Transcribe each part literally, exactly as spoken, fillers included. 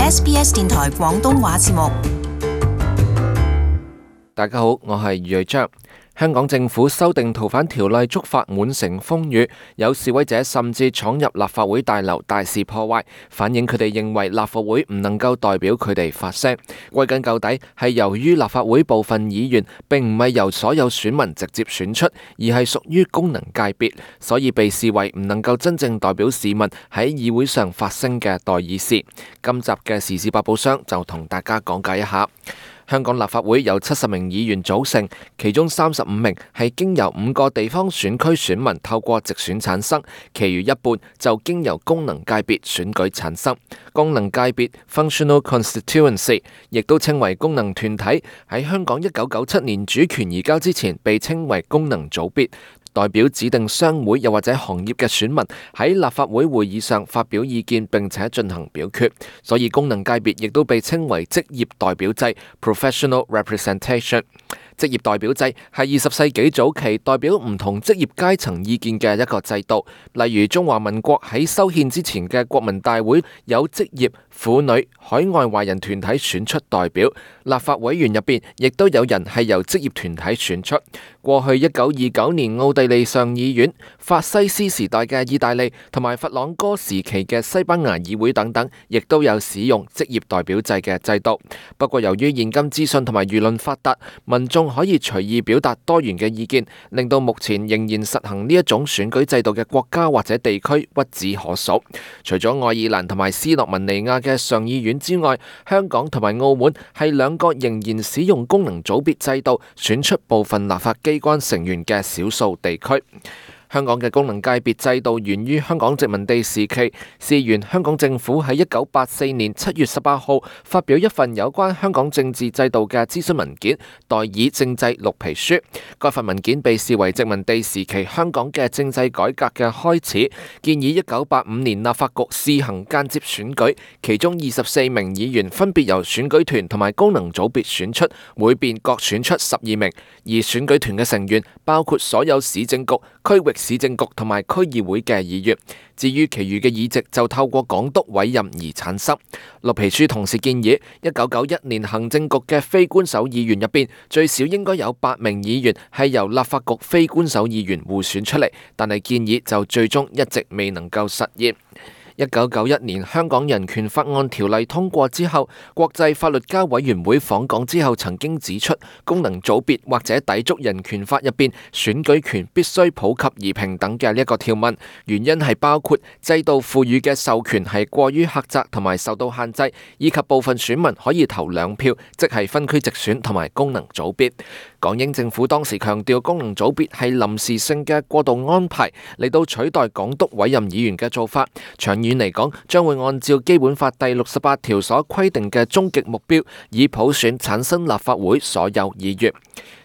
S B S 電台廣東話節目。大家好，我係余瑞章。香港政府修訂逃犯條例觸發滿城風雨，有示威者甚至闖入立法會大樓大肆破壞，反映佢哋認為立法會唔能夠代表佢哋發聲。歸根究底係由於立法會部分議員並唔係由所有選民直接選出，而係屬於功能界別，所以被視為唔能夠真正代表市民喺議會上發聲嘅代議士。今集嘅時事百寶箱就同大家講解一下。香港立法會由七十名議員組成，其中三十五名係經由五個地方選區選民透過直選產生，其餘一半就經由功能界別選舉產生。功能界別 Functional Constituency 亦都稱為功能團體，喺香港一九九七年主權移交之前被稱為功能組別，代表指定商會又或者行業嘅選民喺立法會會議上發表意見並且進行表決，所以功能界別亦都被稱為職業代表制 Professional Representation。職業代表制係二十世紀早期代表唔同職業階層意見嘅一個制度，例如中華民國喺修憲之前嘅國民大會有職業、婦女、海外華人團體選出代表，立法委員入邊亦都有人係由職業團體選出。過去一九二九年奧地利上議院、法西斯時代嘅意大利同埋佛朗哥時期嘅西班牙議會等等，亦都有使用職業代表制嘅制度。不過由於現今資訊同埋輿論發達，民眾可以隨意表達多元嘅意見，令到目前仍然實行呢一種選舉制度嘅國家或者地區屈指可數。除咗愛爾蘭同埋斯洛文尼亞嘅上議院之外，香港同埋澳門係兩個仍然使用功能組別制度選出部分立法機關成員嘅少數地區。香港嘅功能界別制度源於香港殖民地時期，事源香港政府喺一九八四年七月十八號發表一份有關香港政治制度嘅諮詢文件《代議政制綠皮書》。該份文件被視為殖民地時期香港嘅政制改革嘅開始，建議一九八五年立法局試行間接選舉，其中二十四名議員分別由選舉團同埋功能組別選出，每邊各選出十二名，而選舉團嘅成員包括所有市政局、區域市政局同埋區議會嘅議員，至於其餘嘅議席就透過港督委任而產生。綠皮書同時建議，一九九一年行政局嘅非官守議員入邊，最少應該有八名議員係由立法局非官守議員互選出嚟，但係建議就最終一直未能夠實現。一九九一年香港人權法案條例通過之後，國際法律家委員會訪港之後曾經指出，功能組別或者抵觸人權法入邊選舉權必須普及而平等嘅呢一個條文，原因係包括制度賦予嘅授權係過於狹窄同埋受到限制，以及部分選民可以投兩票，即係分區直選同埋功能組別。港英政府當時強調功能組別係臨時性嘅過渡安排，嚟到取代港督委任議員嘅做法。長遠嚟講，將會按照基本法第六十八條所規定嘅終極目標，以普選產生立法會所有議員。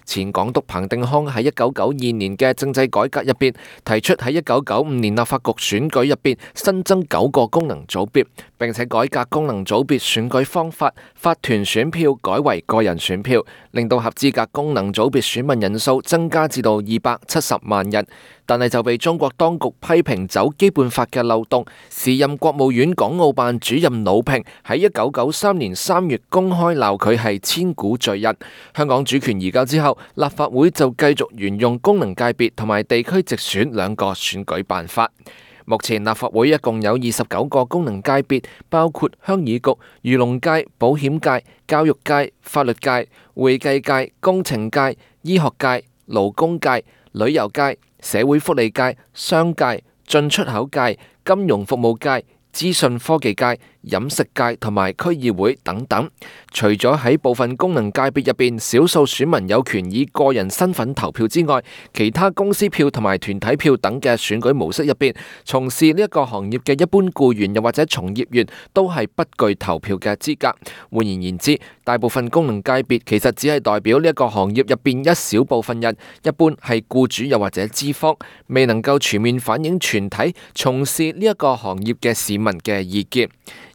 前港督彭定康喺一九九二年嘅政制改革入邊提出喺一九九五年立法局選舉入邊新增九個功能組別，並且改革功能組別選舉方法，法團選票改為個人選票，令到合資格功能組別選民人數增加至到二百七十萬人。但係就被中國當局批評走基本法嘅漏洞。時任國務院港澳辦主任魯平喺一九九三年三月公開鬧佢係千古罪人。香港主權移交之後，立法會就繼續沿用功能界別同埋地區直選兩個選舉辦法。目前立法會一共有二十九個功能界別，包括鄉議局、漁農界、保險界、教育界、法律界、會計界、工程界、醫學界、勞工界、旅遊界、社會福利界、商界、進出口界、金融服務界、資訊科技界、飲食界同埋區議會等等。除咗喺部分功能界別入邊，少數選民有權以個人身份投票之外，其他公司票同埋團體票等嘅選舉模式入邊，從事呢一個行業嘅一般僱員又或者從業員都係不具投票嘅資格。換言言之，大部分功能界別其實只係代表呢一個行業入邊一小部分人，一般係僱主又或者資方，未能夠全面反映全體從事呢一個行業嘅市民嘅意見。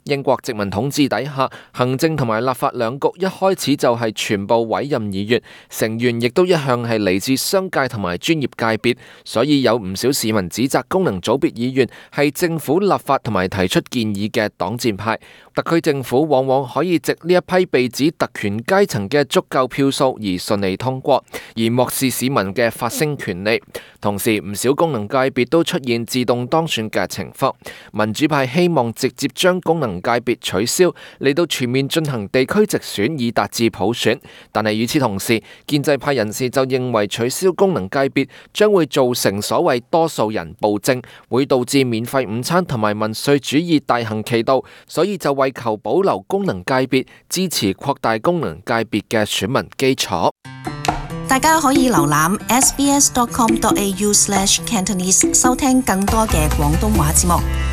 英國殖民統治底下，行政同埋立法兩局一開始就係全部委任議員，成員亦都一向係嚟自商界同埋專業界別，所以有唔少市民指責功能組別議員係政府立法同埋提出建議嘅擋箭牌。特區政府往往可以藉呢一批被指特權階層嘅足夠票數而順利通過，而漠視市民嘅發聲權利。同時，唔少功能界別都出現自動當選嘅情況。民主派希望直接將功能界別取消，嚟到全面進行地區直選以達至普選。但係與此同時，建制派人士就認為取消功能界別將會造成所謂多數人暴政，會導致免費午餐同埋民粹主義大行其道，所以就為求保留功能界別，支持擴大功能界別嘅選民基礎。大家可以瀏覽 s b s dot com dot a u slash cantonese 收聽更多嘅廣東話節目。